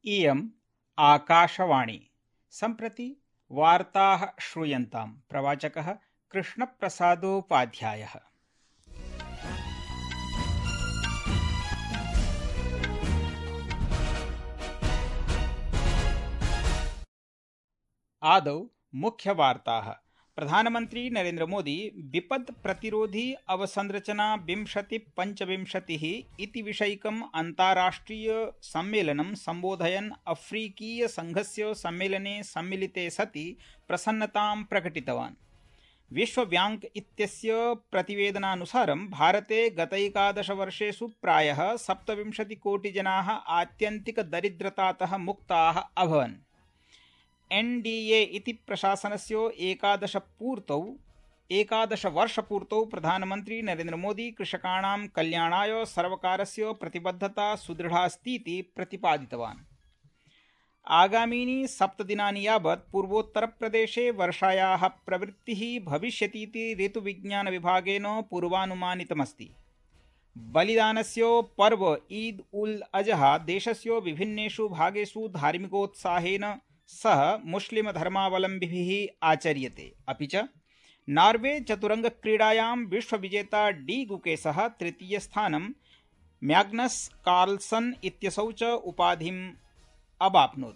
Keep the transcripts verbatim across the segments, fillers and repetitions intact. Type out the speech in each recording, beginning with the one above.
इयम् आकाशवाणी। सम्प्रति वार्ताः श्रूयन्ताम्। प्रवाचकः कृष्णप्रसादोपाध्यायः। आदौ मुख्यवार्ताः। प्रधानमन्त्री नरेन्द्र मोदी विपद् प्रतिरोधी अवसंरचना विंशति पञ्चविंशतिः इति विषयिकम् अन्ताराष्ट्रिय सम्मेलनं सम्बोधयन् अफ्रीकीय संघस्य सम्मेलने सम्मिलिते सति प्रसन्नतां प्रकटितवान्। विश्व बैंक इत्यस्य प्रतिवेदनानुसारं भारते गतैकादशवर्षेषु प्रायः सप्तविंशतिकोटिजनाः आत्यन्तिकदरिद्रतातः मुक्ताः अभवन्। एन् डी ए इति प्रशासनस्य एकादशपूर्तौ एकादशवर्षपूर्तौ प्रधानमन्त्री नरेन्द्र मोदी कृषकाणां कल्याणाय सर्वकारस्य प्रतिबद्धता सुदृढास्तीति प्रतिपादितवान्। आगामीनि सप्तदिनानि यावत् पूर्वोत्तरप्रदेशे वर्षायाः प्रवृत्तिः भविष्यतीति ऋतुविज्ञानविभागेन पूर्वानुमानितमस्ति। बलिदानस्य पर्व ईद उल अजहा देशस्य विभिन्नेषु भागेषु धार्मिकोत्साहेन सह मुस्लिम धर्मावलम्बिभिः आचर्यते। अपि च नार्वे चतुरङ्गक्रीडायां विश्वविजेता डी गुकेशः तृतीयस्थानं, मैग्नस कार्लसन इत्यसौ च उपाधिम् अवाप्नोत्।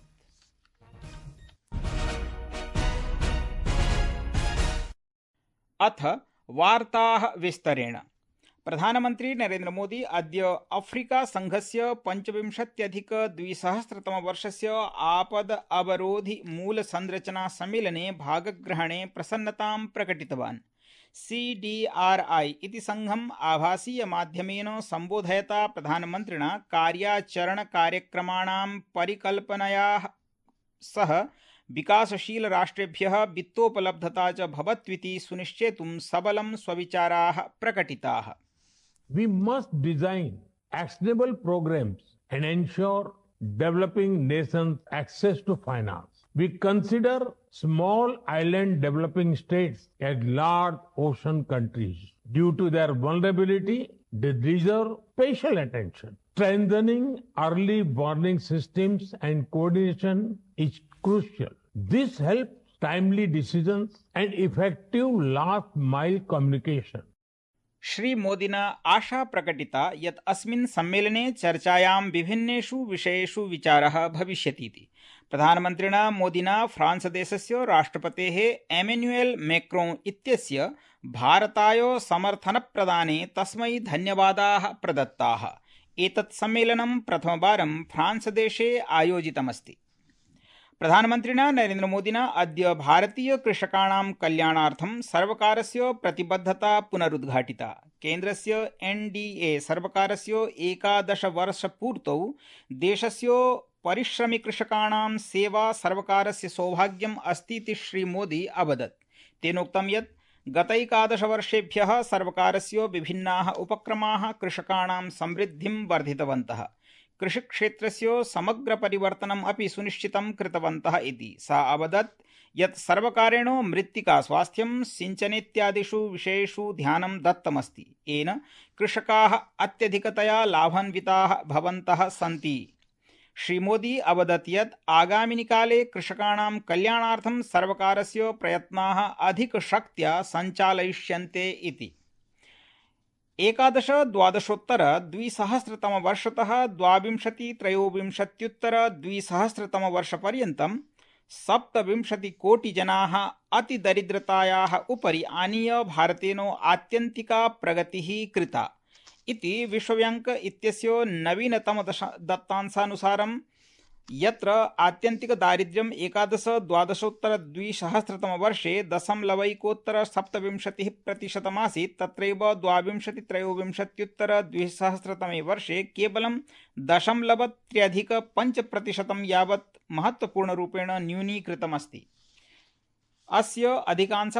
अथ वार्ताः विस्तरेण। प्रधानमन्त्री नरेन्द्र मोदी अद्य अफ्रीका संघस्य पञ्चविंशत्यधिकद्विसहस्रतमवर्षस्य आपद अवरोधि मूल संरचना सम्मेलने भागग्रहणे प्रसन्नतां प्रकटितवान्। सी डी आर आई इति संघम् आभासीय माध्यमेन सम्बोधयता प्रधानमन्त्रिणा कार्याचरणकार्यक्रमाणां परिकल्पनया सह विकासशील राष्ट्रेभ्यः वित्तोपलब्धता च भवत्विति सुनिश्चेतुं सबलं स्वविचाराः प्रकटिताः। We must design actionable programs and ensure developing nations access to finance. We consider small island developing states as large ocean countries. Due to their vulnerability, they deserve special attention. Strengthening early warning systems and coordination is crucial. This helps timely decisions and effective last mile communication. Shri मोदिना आशा प्रकटिता यत् अस्मिन् सम्मेलने चर्चायां विभिन्नेषु विषयेषु विचारः भविष्यतीति। प्रधानमन्त्रिणा मोदिना फ्रांस देशस्य राष्ट्रपतेः एमेन्युएल मैक्रों इत्यस्य भारताय समर्थनप्रदाने तस्मै धन्यवादाः प्रदत्ताः। एतत् सम्मेलनं प्रथमवारं फ्रांस देशे आयोजितमस्ति। प्रधानमन्त्रिणा नरेन्द्र मोदिना अद्य भारतीय कृषकाणां कल्याणार्थं सर्वकारस्य प्रतिबद्धता पुनरुद्घाटिता। केन्द्रस्य एन् डी ए सर्वकारस्य एकादशवर्षपूर्तौ देशस्य परिश्रमि कृषकाणां सेवा सर्वकारस्य सौभाग्यम् अस्तीति श्रीमोदी अवदत्। तेनोक्तं यत् गतैकादशवर्षेभ्यः सर्वकारस्य विभिन्नाः उपक्रमाः कृषकाणां समृद्धिं वर्धितवन्तः, कृषिक्षेत्रस्य समग्र परिवर्तनम् अपि सुनिश्चितं कृतवन्तः इति। सा अवदत् यत् सर्वकारेण मृत्तिका स्वास्थ्यं सिंचनेत्यादिषु विषयेषु ध्यानं दत्तमस्ति, येन कृषकाः अत्यधिकतया लाभान्विताः भवन्तः सन्ति। श्रीमोदी अवदत् यत् आगामिनि काले कृषकाणां कल्याणार्थं सर्वकारस्य प्रयत्नाः अधिकशक्त्या सञ्चालयिष्यन्ते इति। एकादश द्वादशोत्तर द्विसहस्रतमवर्षतः द्वाविंशति त्रयोविंशत्युत्तर द्विसहस्रतमवर्षपर्यन्तं सप्तविंशतिकोटिजनाः अतिदरिद्रतायाः उपरि आनीय भारतेन आत्यन्तिका प्रगतिः कृता इति विश्वब्याङ्क इत्यस्य नवीनतम दत्तांशानुसारं, यत्र आत्यन्तिकदारिद्र्यम् एकादश द्वादशोत्तर द्विसहस्रतमवर्षे दशमलवैकोत्तर सप्तविंशतिः प्रतिशतमासीत्, तत्रैव द्वाविंशति त्रयोविंशत्युत्तर द्विसहस्रतमे वर्षे केवलं दशमलवत्र्यधिक पञ्चप्रतिशतं यावत् महत्वपूर्णरूपेण न्यूनीकृतमस्ति। अस्य अधिकांश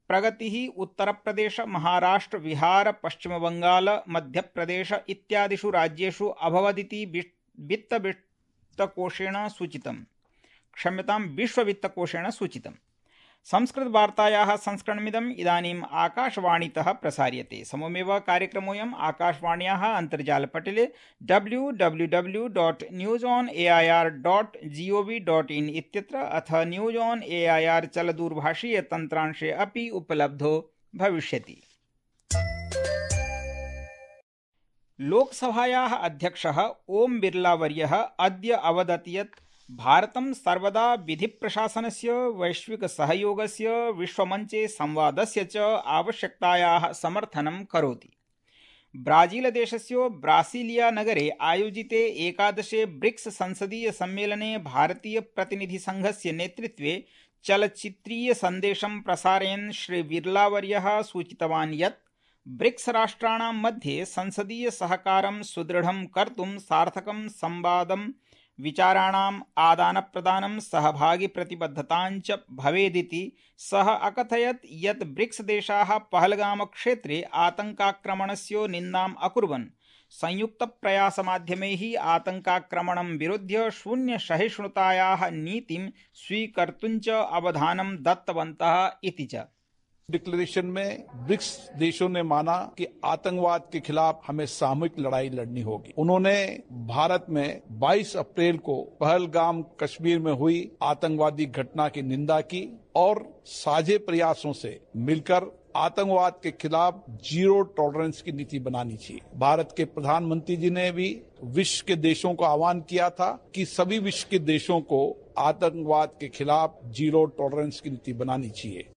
प्रगतिः उत्तरप्रदेश, महाराष्ट्र, बिहार, पश्चिमबंगाल, मध्यप्रदेश इत्यादिषु राज्येषु अभवदिति वित्त वित्तकोषेण सूचितम् क्षम्यतां विश्ववित्तकोषेण सूचितम्। संस्कृतवार्तायाः संस्करणमिदम् इदानीम् आकाशवाणीतः प्रसार्यते। सममेव कार्यक्रमोऽयम् आकाशवाण्याः अन्तर्जालपटले W W W dot news on A I R dot G O V dot in इत्यत्र अथ news on A I R चलदूरभाषीयतन्त्रांशे अपि उपलब्धो भविष्यति। लोकसभायाः अध्यक्षः ओम बिर्लावर्यः अद्य अवदत् यत् भारतं सर्वदा विधिप्रशासनस्य वैश्विकसहयोगस्य विश्वमञ्चे संवादस्य च आवश्यकतायाः समर्थनं करोति। ब्राजीलदेशस्य ब्रासिलियानगरे आयोजिते एकादशे ब्रिक्स संसदीय सम्मेलने भारतीयप्रतिनिधिसङ्घस्य नेतृत्वे चलच्चित्रीयसन्देशं प्रसारयन् श्री बिर्लावर्यः सूचितवान् यत् ब्रिक्स राष्ट्राणां मध्ये संसदीय सहकारं सुदृढं कर्तुं सार्थकं संवादं विचाराणाम् आदानप्रदानं सहभागिप्रतिबद्धताञ्च भवेदिति सः अकथयत् यत् ब्रिक्स देशाः पहलगामक्षेत्रे आतङ्काक्रमणस्य निन्दाम् अकुर्वन् संयुक्तप्रयासमाध्यमैः आतङ्काक्रमणं विरुध्य शून्यसहिष्णुतायाः नीतिं स्वीकर्तुञ्च अवधानं दत्तवन्तः इति च। डिक्लेरेशन में ब्रिक्स देशों ने माना कि आतंकवाद के खिलाफ हमें सामूहिक लड़ाई लड़नी होगी। उन्होंने भारत में बाईस अप्रैल को पहलगाम कश्मीर में हुई आतंकवादी घटना की निंदा की और साझे प्रयासों से मिलकर आतंकवाद के खिलाफ जीरो टॉलरेंस की नीति बनानी चाहिए। भारत के प्रधानमंत्री जी ने भी विश्व के देशों को आह्वान किया था कि सभी विश्व के देशों को आतंकवाद के खिलाफ जीरो टॉलरेंस की नीति बनानी चाहिए।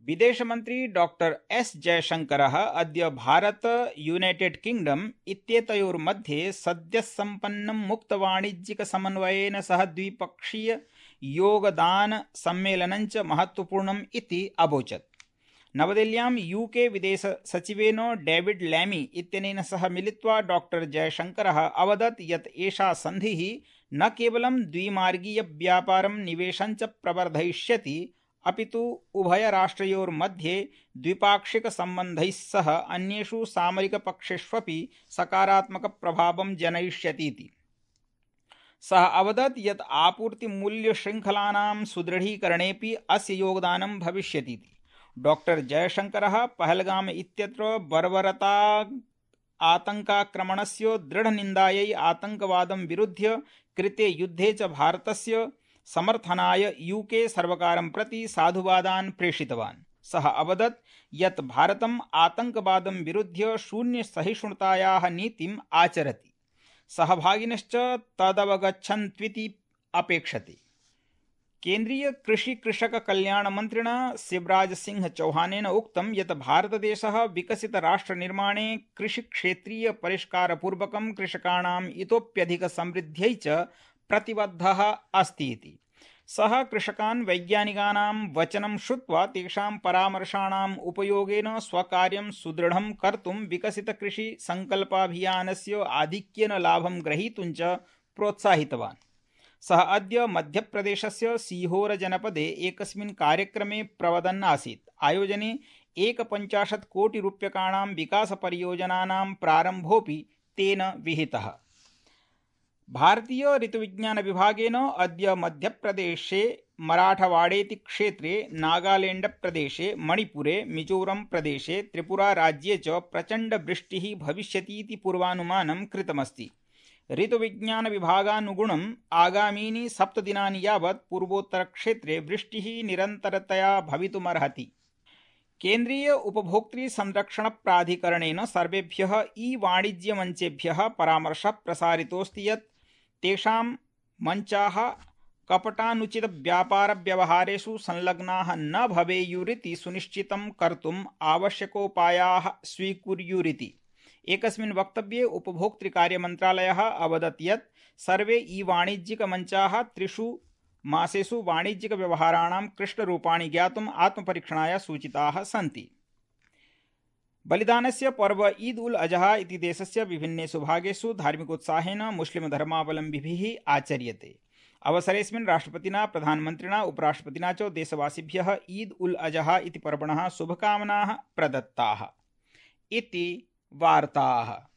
विदेशमन्त्री डॉक्टर एस जयशंकरः अद्य भारत यूनाइटेड किंगडम इत्येतयोर्मध्ये सद्यः सम्पन्नं मुक्तवाणिज्यिकसमन्वयेन सह द्विपक्षीय योगदान सम्मेलनञ्च महत्वपूर्णम् इति अवोचत्। नवदिल्ल्यां यूके विदेश सचिवेन डेविड लैमी इत्यनेन सह मिलित्वा डॉक्टर जयशंकरः अवदत् यत् एषा सन्धिः न केवलं द्विमार्गीय व्यापारं निवेशञ्च प्रवर्धयिष्यति अपितु उभयराष्ट्रयोर्मध्ये द्विपाक्षिकसम्बन्धैः सह अन्येषु सामरिकपक्षेष्वपि सकारात्मकप्रभावं जनयिष्यतीति। सः अवदत् यत् आपूर्तिमूल्यशृङ्खलानां सुदृढीकरणेऽपि अस्य योगदानं भविष्यतीति। डॉक्टर जयशंकरः पहलगाम इत्यत्र बर्बरता आतङ्काक्रमणस्य दृढनिन्दायै आतङ्कवादं विरुध्य कृते युद्धे च भारतस्य समर्थनाय यूके सर्वकारं प्रति साधुवादान् प्रेषितवान्। सः अवदत् यत् भारतम् आतङ्कवादं विरुध्य शून्यसहिष्णुतायाः नीतिम् आचरति। सहभागिनश्च तदवगच्छन्त्विति अपेक्षते। केन्द्रीय कृषि कृषक कल्याण मन्त्रिणा शिवराज सिंह चौहानेन उक्तं यत् भारतदेशः विकसित राष्ट्रनिर्माणे कृषिक्षेत्रीय परिष्कारपूर्वकं कृषकाणाम् इतोप्यधिक समृद्ध्यै च प्रतिबद्धः अस्ति इति। सः कृषकान् वैज्ञानिकानां वचनं श्रुत्वा तेषां परामर्शाणाम् उपयोगेन स्वकार्यं सुदृढं कर्तुं विकसित कृषि संकल्पाभियानस्य आधिक्येन लाभं ग्रहीतुं च प्रोत्साहितवान्। सः अद्य मध्यप्रदेशस्य सीहोर जनपदे एकस्मिन् कार्यक्रमे प्रवदन् आसीत्। आयोजने एकपञ्चाशत् कोटि रूप्यकाणां विकासपरियोजनानां प्रारम्भोऽपि तेन विहितः। भारतीय ऋतुविज्ञान विभागेन अद्य मध्यप्रदेशे मराठवाड़ेति क्षेत्रे, नागालैंड प्रदेशे, मणिपुरे, मिजोरम प्रदेशे, त्रिपुरा राज्ये च प्रचंड वृष्टिः भविष्यतीति पूर्वानुमानं कृतमस्ति। ऋतुविज्ञान विभागानुगुणम् आगामीनि सप्तदिनानि यावत् पूर्वोत्तरक्षेत्रे वृष्टिः निरन्तरतया भवितुमर्हति। केन्द्रीय उपभोक्तृ संरक्षण प्राधिकरणेन सर्वेभ्यः ई वाणिज्य मंचेभ्यः परामर्शः प्रसारितोऽस्ति यत् तेषां मंचाः कपटानुचित व्यापार व्यवहारेषु संलग्नाः न भवेयुरिति सुनिश्चितं कर्तुम् आवश्यकोपायाः स्वीकुर्युरिति। एकस्मिन् वक्तव्ये उपभोक्तृ कार्य मन्त्रालयः अवदत् यत् सर्वे ई वाणिज्यिक मंचाः त्रिषु मासेषु वाणिज्यिक व्यवहाराणां कृष्णरूपाणि ज्ञातुम् आत्मपरीक्षणाय सूचिताः सन्ति। बलिदानस्य पर्व ईद उल अजहा इति देशस्य विभिन्नेषु भागेषु धार्मिकोत्साहेन मुस्लिम धर्मावलम्बिभिः आचर्यते। अवसरेऽस्मिन् राष्ट्रपतिना, प्रधानमन्त्रिणा, उपराष्ट्रपतिना च देशवासिभ्यः ईद उल अजहा इति पर्वणः शुभकामनाः प्रदत्ताः इति वार्ताः।